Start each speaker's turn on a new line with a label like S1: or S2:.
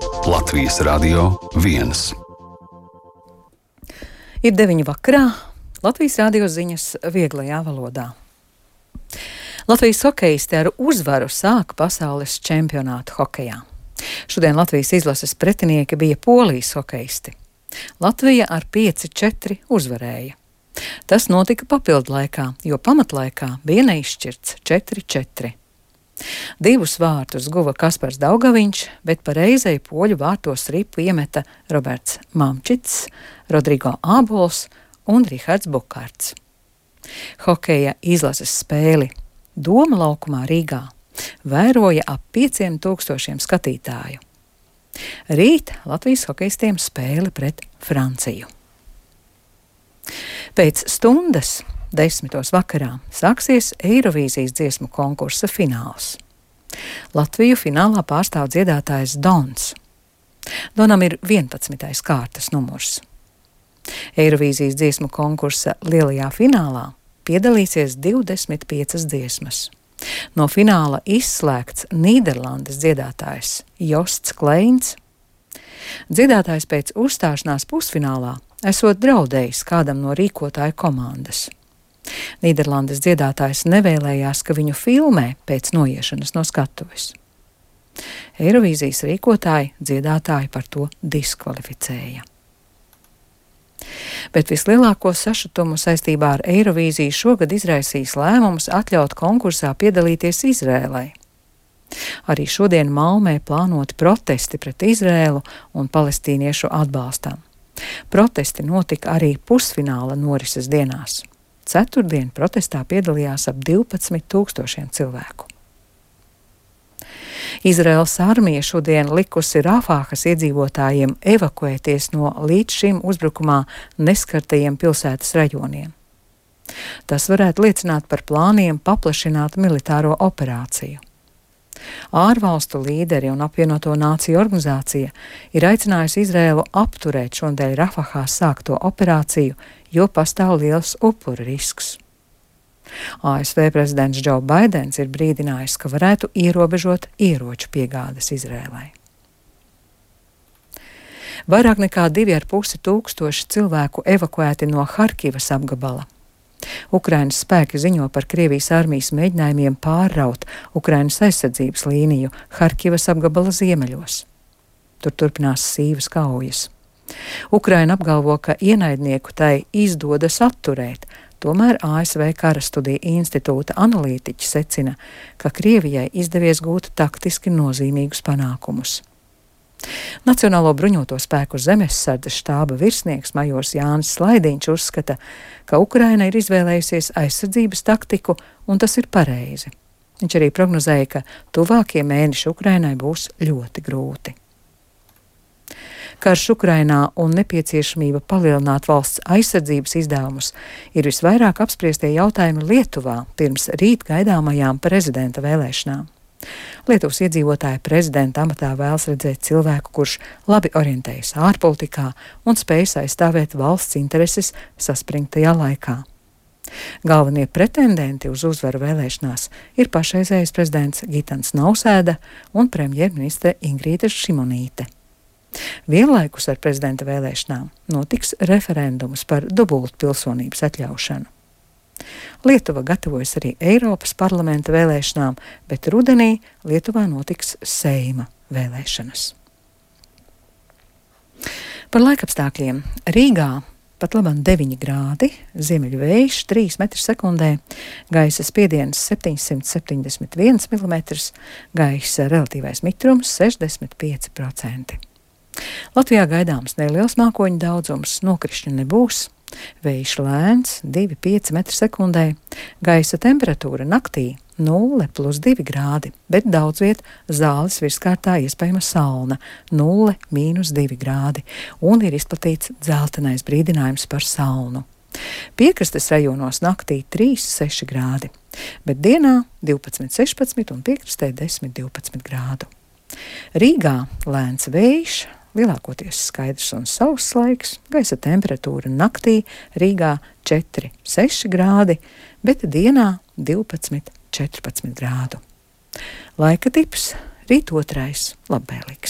S1: Latvijas Radio 1.
S2: Ir 9 vakarā, Latvijas radio ziņas vieglajā valodā. Latvijas hokejisti ar uzvaru sāka pasaules čempionātu hokejā. Šodien Latvijas izlases pretinieki bija Polijas hokejisti. Latvija ar 5-4 uzvarēja. Tas notika papildu laikā, jo pamatlaikā bija neizšķirts 4-4. 2 vārtus guva Kaspars Daugaviņš, bet pa reizei poļu vārtos ripu iemeta Roberts Mamčits, Rodrigo Ābols un Rihards Bukārts. Hokeja izlases spēli Doma laukumā Rīgā vēroja ap 5000 skatītāju. Rīt Latvijas hokejistiem spēle pret Franciju. Pēc stundas 10. vakarā sāksies Eirovīzijas dziesmu konkursa fināls. Latviju finālā pārstāv dziedātājs Dons. Donam ir 11. kārtas numurs. Eirovīzijas dziesmu konkursa lielajā finālā piedalīsies 25 dziesmas. No fināla izslēgts Nīderlandes dziedātājs Josts Kleins. Dziedātājs pēc uzstāšanās pusfinālā esot draudējis kādam no rīkotāju komandas. Nīderlandes dziedātājs nevēlējās, ka viņu filmē pēc noiešanas no skatuves. Eirovīzijas rīkotāji dziedātāji par to diskvalificēja. Bet vislielāko sašutumu saistībā ar Eirovīziju šogad izraisīs lēmums atļaut konkursā piedalīties Izrēlai. Arī šodien Malmē plānoti protesti pret Izrēlu un palestīniešu atbalstam. Protesti notika arī pusfināla norises dienās. Ceturtdien protestā piedalījās ap 12,000 cilvēku. Izraēlas armija šodien likusi Rafāhas iedzīvotājiem evakuēties no līdz šim uzbrukumā neskartajiem pilsētas rajoniem. Tas varētu liecināt par plāniem paplašināt militāro operāciju. Ārvalstu līderi un apvienoto nāciju organizācija ir aicinājusi Izraēlu apturēt šodien Rafahā sākto operāciju, jo pastāv liels upuru risks. ASV prezidents Džo Baidens ir brīdinājis, ka varētu ierobežot ieroču piegādes Izrēlai. Vairāk nekā 2500 cilvēku evakuēti no Harkivas apgabala. Ukrainas spēki ziņo par Krievijas armijas mēģinājumiem pārraut Ukrainas aizsardzības līniju Harkivas apgabala ziemeļos. Tur turpinās sīvas kaujas. Ukraina apgalvo, ka ienaidnieku tai izdodas atturēt, tomēr ASV Karastudiju institūta analītiķi secina, ka Krievijai izdevies gūt taktiski nozīmīgus panākumus. Nacionālo bruņoto spēku zemesardzes štāba virsnieks majors Jānis Slaidiņš uzskata, ka Ukraina ir izvēlējusies aizsardzības taktiku, un tas ir pareizi. Viņš arī prognozēja, ka tuvākie mēneši Ukrainai būs ļoti grūti. Karš Ukrainā un nepieciešamība palielināt valsts aizsardzības izdevumus ir visvairāk apspriestie jautājumi Lietuvā pirms rīt gaidāmajām prezidenta vēlēšanām. Lietuvas iedzīvotāji prezidenta amatā vēlas redzēt cilvēku, kurš labi orientējas ārpolitikā un spējas aizstāvēt valsts intereses saspringtajā laikā. Galvenie pretendenti uz uzvaru vēlēšanās ir pašreizējais prezidents Gitans Nausēda un premjerministre Ingrīda Šimonīte. Vienlaikus ar prezidenta vēlēšanām notiks referendums par dubultpilsonības atļaušanu. Lietuva gatavojas arī Eiropas parlamenta vēlēšanām, bet rudenī Lietuvā notiks Seima vēlēšanas. Par laikapstākļiem. Rīgā pat labam 9 grādi, ziemeļu vējš 3 m/sekundē, gaisa spiediens 771 mm, gaisa relatīvais mitrums 65%. Latvijā gaidāms neliels mākoņu daudzums, nokrišņu nebūs. Vējš lēns 2,5 m/sekundē, gaisa temperatūra naktī 0+2 grādi, bet daudz viet Zāles virskārtā iespējama salna 0-2 grādi un ir izplatīts dzeltenais brīdinājums par salnu. Piekrastes rajonos naktī 3-6 grādi, bet dienā 12-16 un piekrastē 10-12 grādu. Rīgā lēns vējš, lielākoties skaidrs un sauss laiks, gaisa temperatūra naktī Rīgā 4-6 grādi, bet dienā 12-14 grādu. Laika tips rīt 2. labvēlīgs.